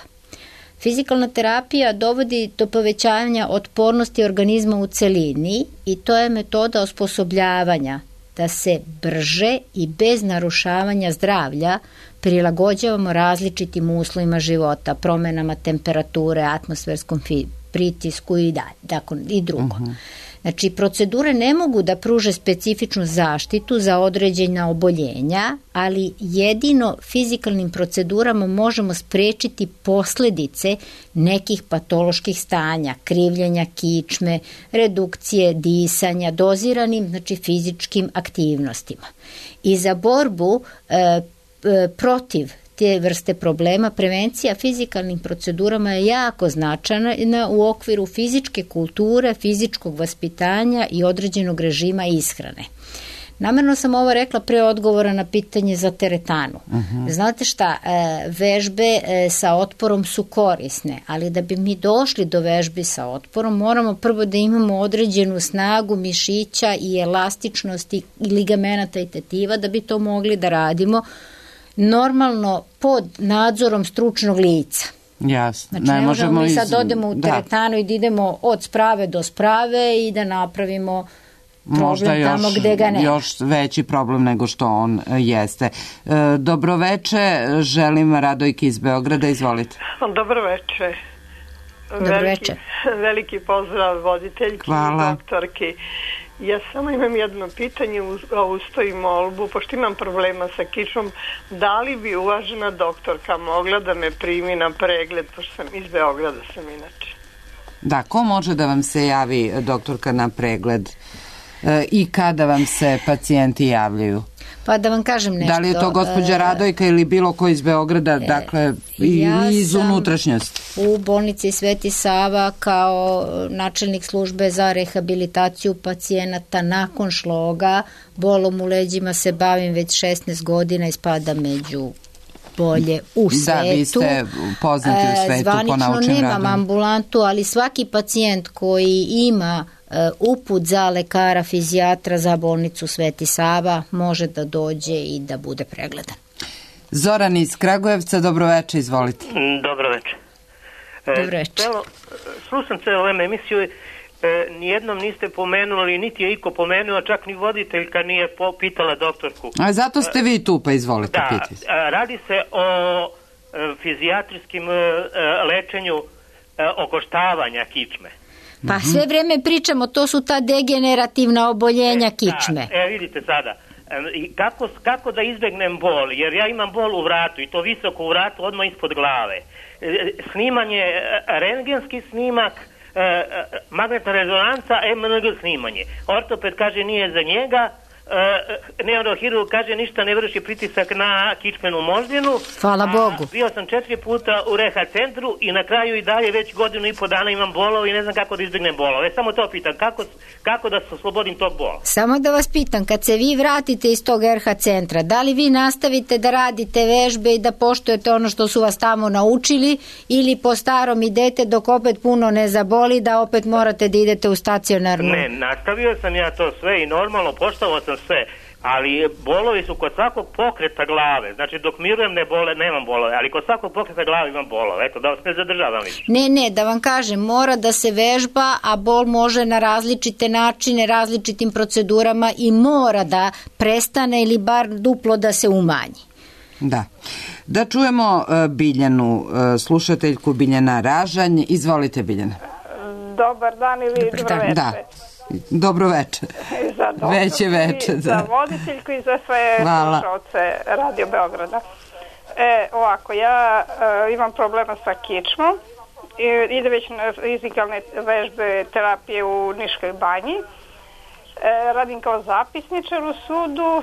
Fizikalna terapija dovodi do povećanja otpornosti organizma u celini i to je metoda osposobljavanja da se brže i bez narušavanja zdravlja prilagođavamo različitim uslovima života, promenama temperature, atmosferskom pritisku i, da, dakle, i drugo. Uh-huh. Znači, procedure ne mogu da pruže specifičnu zaštitu za određena oboljenja, ali jedino fizikalnim procedurama možemo sprečiti posledice nekih patoloških stanja, krivljenja kičme, redukcije disanja, doziranim, znači, fizičkim aktivnostima. I za borbu e, e, protiv te vrste problema, prevencija fizikalnim procedurama je jako značajna u okviru fizičke kulture, fizičkog vaspitanja i određenog režima ishrane. Namerno sam ovo rekla pre odgovora na pitanje za teretanu. Uh-huh. Znate šta, vežbe sa otporom su korisne, ali da bi mi došli do vežbi sa otporom, moramo prvo da imamo određenu snagu mišića i elastičnosti i ligamenata i tetiva da bi to mogli da radimo normalno pod nadzorom stručnog lica.
Jasno.
Znači, ne, ne možemo mi sad iz... odemo u teretanu da. I da idemo od sprave do sprave i da napravimo problem možda još, tamo gde ga nema.
Još veći problem nego što on jeste. E, dobroveče, želim Radojki iz Beograda, izvolite.
Dobroveče.
Dobroveče.
Veliki, veliki pozdrav voditeljki i doktorki. Ja samo imam jedno pitanje, a usto i molbu, pošto imam problema sa kičmom. Da li bi uvažena doktorka mogla da me primi na pregled, pošto sam iz Beograda sam inače?
Da, ko može da vam se javi, doktorka, na pregled e, i kada vam se pacijenti javljaju?
Pa da vam kažem nešto.
Da li je to gospođa Radojka ili bilo ko iz Beograda, dakle, i
ja
iz unutrašnjosti?
U bolnici Sveti Sava kao načelnik službe za rehabilitaciju pacijenata nakon šloga, bolom u leđima se bavim već šesnaest godina i spadam među bolje u svetu.
Da, vi ste poznati u svetu po naučnim radom.
Zvanično nemam ambulantu, ali svaki pacijent koji ima uput za lekara fizijatra za bolnicu Sveti Sava može da dođe i da bude pregledan.
Zoran iz Kragujevca, dobroveče, izvolite.
Dobroveče.
Dobroveče.
Slušam celo vreme emisiju, e, nijednom niste pomenuli, niti je iko pomenuo, čak ni voditeljka nije pitala doktorku.
A zato ste vi tu, pa izvolite,
da,
pitite.
Radi se o e, fizijatrijskim e, lečenju e, okoštavanja kičme.
Pa sve vreme pričamo, to su ta degenerativna oboljenja kičme.
Da, e, vidite sada, e, kako, kako da izbegnem bol, jer ja imam bol u vratu i to visoko u vratu, odmah ispod glave. E, snimanje, rentgenski snimak, e, magnetna rezonanca, em en ge snimanje. Ortoped kaže nije za njega, e, neurohirurg kaže ništa ne vrši pritisak na kičmenu moždinu.
Hvala Bogu.
Bio sam četiri puta u reha centru i na kraju i dalje već godinu i po dana imam bolove i ne znam kako da izbjegnem bolove. Samo to pitam, kako, kako da se oslobodim tog bola?
Samo da vas pitam, kad se vi vratite iz tog er ha centra, da li vi nastavite da radite vežbe i da poštujete ono što su vas tamo naučili ili po starom idete dok opet puno ne zaboli da opet morate da idete u stacionarnu?
Ne, nastavio sam ja to sve i normalno poštovao sam sve, ali bolovi su kod svakog pokreta glave, znači dok mirujem ne bole, nemam bolove, ali kod svakog pokreta glave imam bolove, eto da vas ne zadržavam više.
Ne, ne, da vam kažem, mora da se vežba, a bol može na različite načine, različitim procedurama i mora da prestane ili bar duplo da se umanji.
Da. Da čujemo uh, Biljanu, uh, slušateljku Biljana Ražanj. Izvolite, Biljana.
Dobar dan ili dobro večer.
Da. Dobro večer.
Za
Već je večer.
Za voditeljku i za sve slušalce Radio Beograda. E, ovako, ja e, imam problema sa kičmom. I, ide već na fizikalne vežbe terapije u Niškoj banji. E, radim kao zapisničar u sudu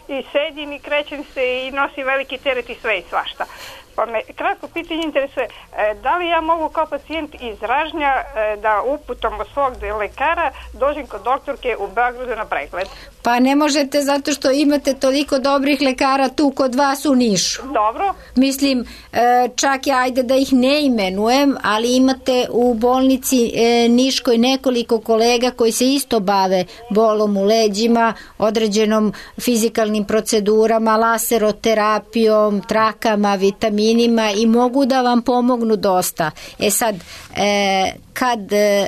i sedim i krećem se i nosim veliki teret i sve i svašta. Pa me kratko pitanje interesuje, da li ja mogu kao pacijent iz Ražnja da uputom od svog lekara dođem kod doktorke u Beogradu na pregled?
Pa ne možete zato što imate toliko dobrih lekara tu kod vas u Nišu.
Dobro.
Mislim, čak ja ajde da ih ne imenujem, ali imate u bolnici Niškoj nekoliko kolega koji se isto bave bolom u leđima, određenom fizikalnim procedurama, laseroterapijom, trakama, vitaminima i mogu da vam pomognu dosta. E sad, e, kad e,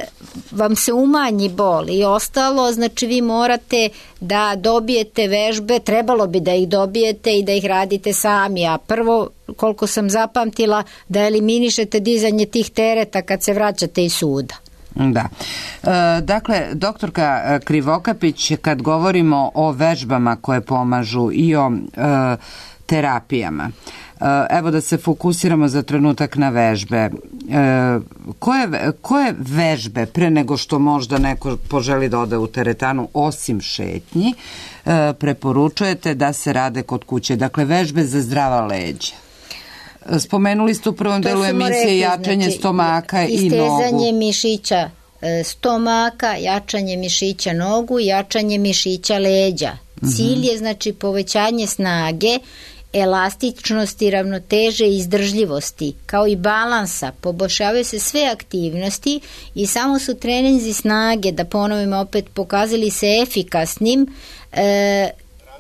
vam se umanji bol i ostalo, znači vi morate da dobijete vežbe, trebalo bi da ih dobijete i da ih radite sami, a prvo, koliko sam zapamtila, da eliminišete dizanje tih tereta kad se vraćate iz suda.
Da. E, dakle, doktorka Krivokapić, kad govorimo o vežbama koje pomažu i o e, terapijama, evo da se fokusiramo za trenutak na vežbe. E, koje, koje vežbe, pre nego što možda neko poželi da ode u teretanu, osim šetnji, e, preporučujete da se rade kod kuće? Dakle, vežbe za zdrava leđa. Spomenuli ste u prvom delu emisije rekli, jačanje znači, stomaka i nogu.
Istezanje mišića stomaka, jačanje mišića nogu, jačanje mišića leđa. Cilj je znači povećanje snage, elastičnosti, ravnoteže i izdržljivosti, kao i balansa. Poboljšavaju se sve aktivnosti i samo su treninzi snage, da ponovimo opet, pokazali se efikasnim, e,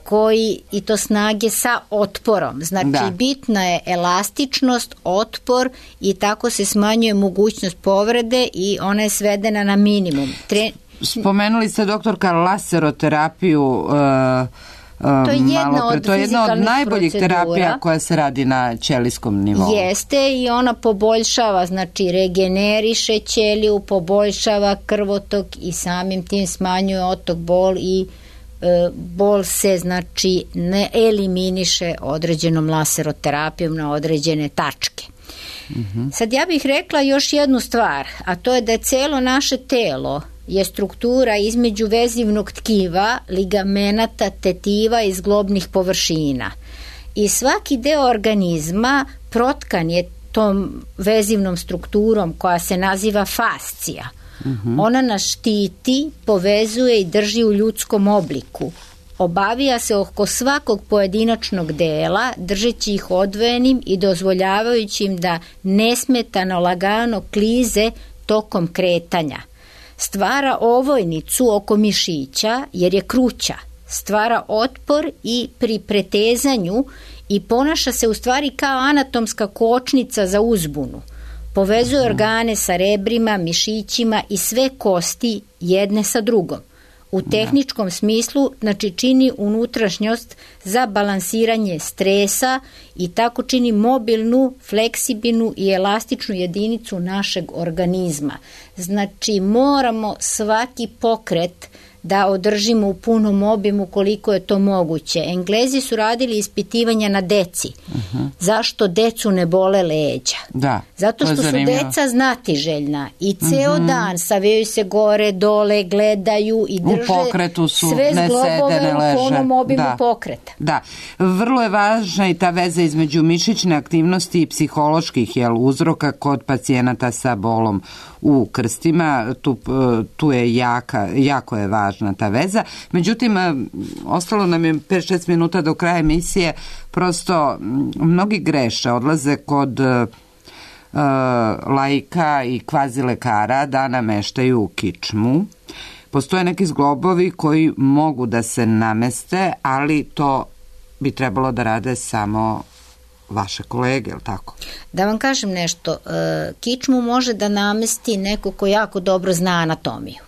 koji i to snage sa otporom. Znači da. Bitna je elastičnost, otpor i tako se smanjuje mogućnost povrede i ona je svedena na minimum. Tre...
Spomenuli ste, doktorka, laseroterapiju. Uh,
To je jedna od
to je jedna od najboljih
procedura.
terapija koja se radi na ćelijskom nivou.
Jeste, i ona poboljšava, znači regeneriše ćeliju, poboljšava krvotok i samim tim smanjuje otok bol i e, bol se znači ne eliminiše određenom laseroterapijom na određene tačke. Mm-hmm. Sad ja bih rekla još jednu stvar, a to je da je celo naše telo je struktura između vezivnog tkiva, ligamenata, tetiva i zglobnih površina. I svaki deo organizma protkan je tom vezivnom strukturom koja se naziva fascija. Mm-hmm. Ona nas štiti, povezuje i drži u ljudskom obliku. Obavija se oko svakog pojedinačnog dela, držeći ih odvojenim i dozvoljavajući im da nesmetano lagano klize tokom kretanja. Stvara ovojnicu oko mišića jer je kruća, stvara otpor i pri pretezanju i ponaša se u stvari kao anatomska kočnica za uzbunu. Povezuje organe sa rebrima, mišićima i sve kosti jedne sa drugom. U tehničkom smislu, znači čini unutrašnjost za balansiranje stresa i tako čini mobilnu, fleksibilnu i elastičnu jedinicu našeg organizma. Znači moramo svaki pokret da održimo u punom obimu koliko je to moguće. Englezi su radili ispitivanja na deci. Uh-huh. Zašto decu ne bole leđa?
Da,
zato što su deca znatiželjna i ceo uh-huh. dan savijaju se gore, dole, gledaju i drže
u pokretu su,
sve
ne
zglobove
sede, ne leže.
U punom obimu
da.
pokreta.
Da, vrlo je važna i ta veza između mišićne aktivnosti i psiholoških jel, uzroka kod pacijenata sa bolom u krstima. Tu, tu je jaka, jako je važna ta veza. Međutim, ostalo nam je pet šest minuta do kraja emisije. Prosto mnogi greše, odlaze kod uh, laika i kvazi lekara da nameštaju kičmu. Postoje neki zglobovi koji mogu da se nameste, ali to bi trebalo da rade samo vaše kolege, je li tako?
Da vam kažem nešto, kičmu može da namesti neko ko jako dobro zna anatomiju.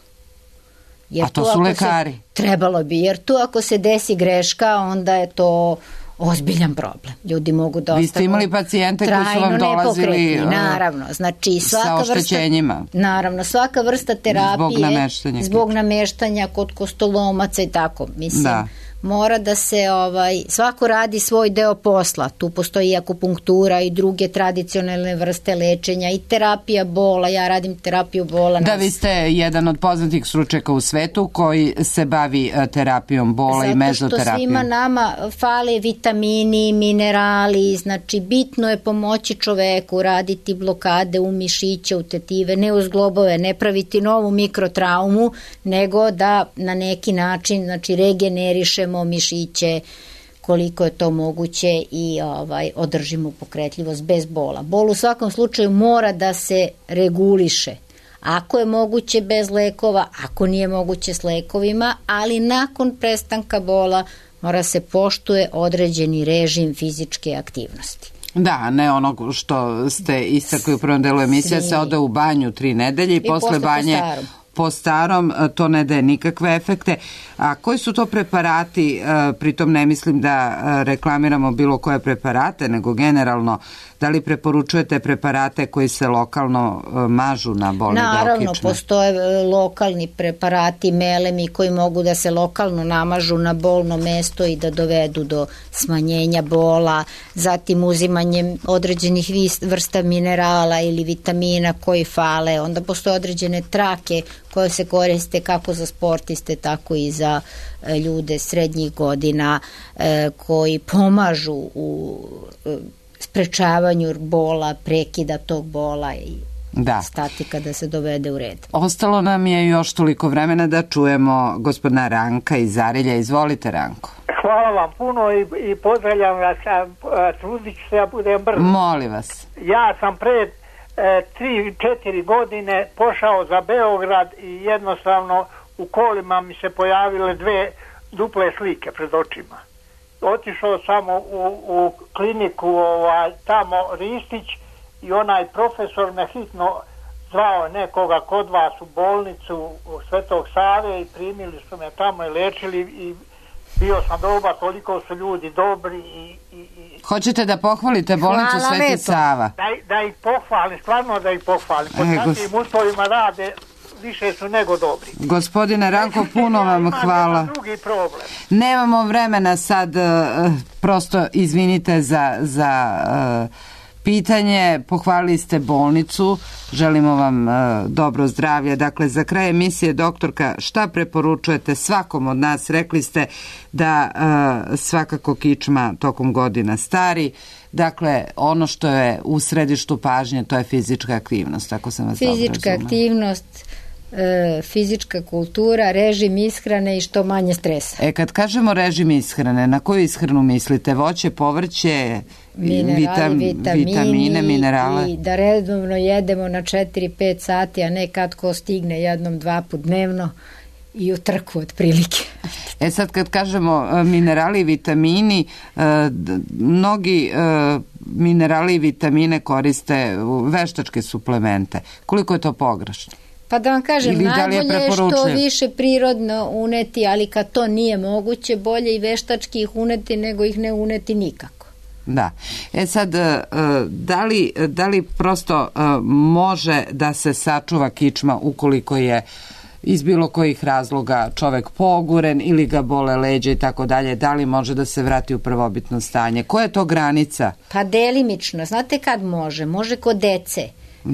Jer
a to su lekari?
Se, trebalo bi, jer tu ako se desi greška, onda je to ozbiljan problem. Ljudi mogu da ostanu
vi ste imali pacijente koji su vam dolazili
naravno, znači svaka
sa oštećenjima.
Vrsta, naravno, svaka vrsta terapije
zbog nameštanja,
zbog nameštanja kod kostolomaca i tako. Mislim, da. Mora da se, ovaj, svako radi svoj deo posla. Tu postoji i akupunktura i druge tradicionalne vrste lečenja i terapija bola. Ja radim terapiju bola.
Da, vi ste jedan od poznatih stručnjaka u svetu koji se bavi terapijom bola
zato
i mezoterapijom.
Zato što svima nama fale vitamini, minerali, znači bitno je pomoći čoveku, raditi blokade u mišiće, u tetive, ne u zglobove, ne praviti novu mikrotraumu, nego da na neki način, znači, regenerišemo mišiće koliko je to moguće i ovaj održimo pokretljivost bez bola. Bol u svakom slučaju mora da se reguliše. Ako je moguće bez lekova, ako nije moguće s lekovima, ali nakon prestanka bola mora se poštuje određeni režim fizičke aktivnosti.
Da, ne onog što ste istakli u prvom delu emisije, se ode u banju tri nedelje i, I posle banje po starom, to ne daje nikakve efekte. A koji su to preparati, pritom ne mislim da reklamiramo bilo koje preparate, nego generalno, da li preporučujete preparate koji se lokalno mažu na bolni deo kičme?
Naravno, postoje lokalni preparati, melemi koji mogu da se lokalno namažu na bolno mesto i da dovedu do smanjenja bola, zatim uzimanjem određenih vrsta minerala ili vitamina koji fale, onda postoje određene trake koje se koriste kako za sportiste, tako i za ljude srednjih godina koji pomažu u sprečavanju bola, prekida tog bola i da. Statika da se dovede u red.
Ostalo nam je još toliko vremena da čujemo gospodina Ranka iz Arilja. Izvolite, Ranko.
Hvala vam puno i, i pozdravljam vas, trudit ću se ja budem brzo.
Molim vas.
Ja sam pred e, tri, četiri godine pošao za Beograd i jednostavno u kolima mi se pojavile dve duple slike pred očima. Otišao samo u, u kliniku ovaj, tamo Ristić i onaj profesor me hitno zvao nekoga kod vas u bolnicu u Svetog Save i primili su me tamo i lečili i bio sam dobar, toliko su ljudi dobri i... i, i...
Hoćete da pohvalite bolnicu Sveti Sava?
Da, da ih pohvalim, stvarno da ih pohvalim. Pod e, takvim gos... uslovima rade, više su nego dobri.
Gospodine Ranko, puno vam hvala.
Drugi problem.
Nemamo vremena sad, prosto izvinite za... za pitanje, pohvalili ste bolnicu, želimo vam uh, dobro zdravlje. Dakle, za kraj emisije, doktorka, šta preporučujete svakom od nas? Rekli ste da uh, svakako kičma tokom godina stari. Dakle, ono što je u središtu pažnje, to je fizička aktivnost, ako sam vas dobro razumela.
Fizička aktivnost, e, fizička kultura, režim ishrane i što manje stresa.
E, kad kažemo režim ishrane, na koju ishranu mislite? Voće, povrće,
minerali,
vitam,
vitamini,
vitamine, minerale?
I da redovno jedemo na četiri pet sati, a ne kad ko stigne jednom, dva put dnevno i u trku otprilike.
E sad kad kažemo minerali i vitamini, mnogi minerali i vitamine koriste veštačke suplemente. Koliko je to pogrešno?
Pa da vam kažem, ili najbolje je, je što više prirodno uneti, ali kad to nije moguće, bolje i veštački ih uneti nego ih ne uneti nikako.
Da. E sad, da li, da li prosto može da se sačuva kičma ukoliko je iz bilo kojih razloga čovek poguren ili ga bole leđa i tako dalje, da li može da se vrati u prvobitno stanje? Koja je to granica?
Pa delimično. Znate kad može? Može kod dece.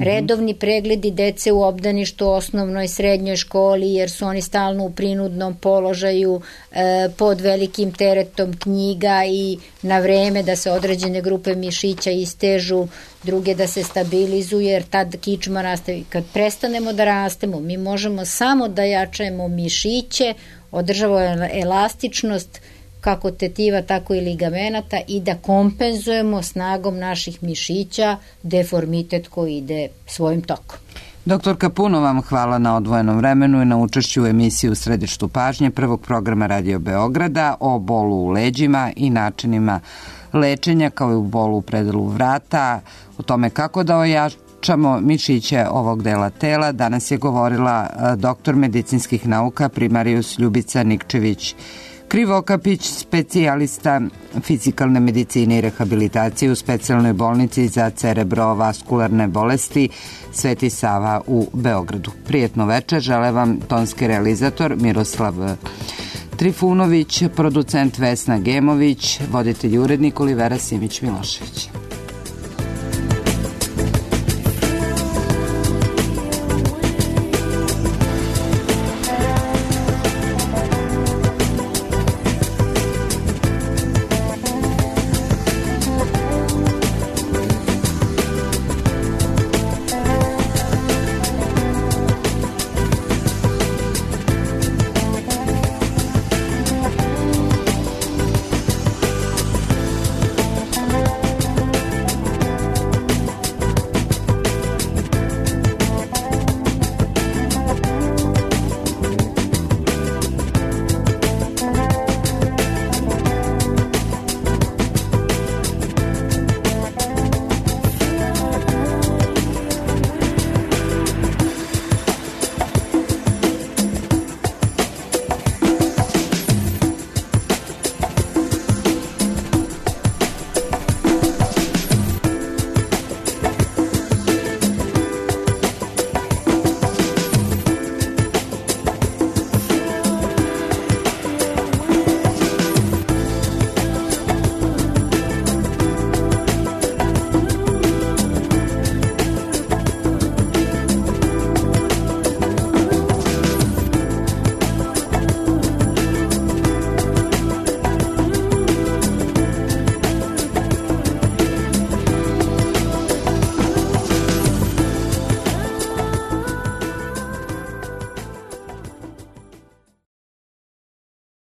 Redovni pregledi dece u obdaništu, osnovnoj, srednjoj školi, jer su oni stalno u prinudnom položaju, e, pod velikim teretom knjiga i na vreme da se određene grupe mišića istežu, druge da se stabilizuju, jer tad kičma raste. Kad prestanemo da rastemo, mi možemo samo da jačajemo mišiće, održavamo elastičnost, kako tetiva, tako i ligamenata i da kompenzujemo snagom naših mišića deformitet koji ide svojim tokom.
Doktorka, puno vam hvala na odvojenom vremenu i na učešću u emisiji U središtu pažnje prvog programa Radio Beograda o bolu u leđima i načinima lečenja kao i u bolu u predelu vrata, o tome kako da ojačamo mišiće ovog dela tela. Danas je govorila doktor medicinskih nauka primarijus Ljubica Nikčević Krivokapić, specijalista fizikalne medicine i rehabilitacije u specijalnoj bolnici za cerebrovaskularne bolesti Sveti Sava u Beogradu. Prijetno večer, žele vam tonski realizator Miroslav Trifunović, producent Vesna Gemović, voditelj i urednik Olivera Simić Milošević.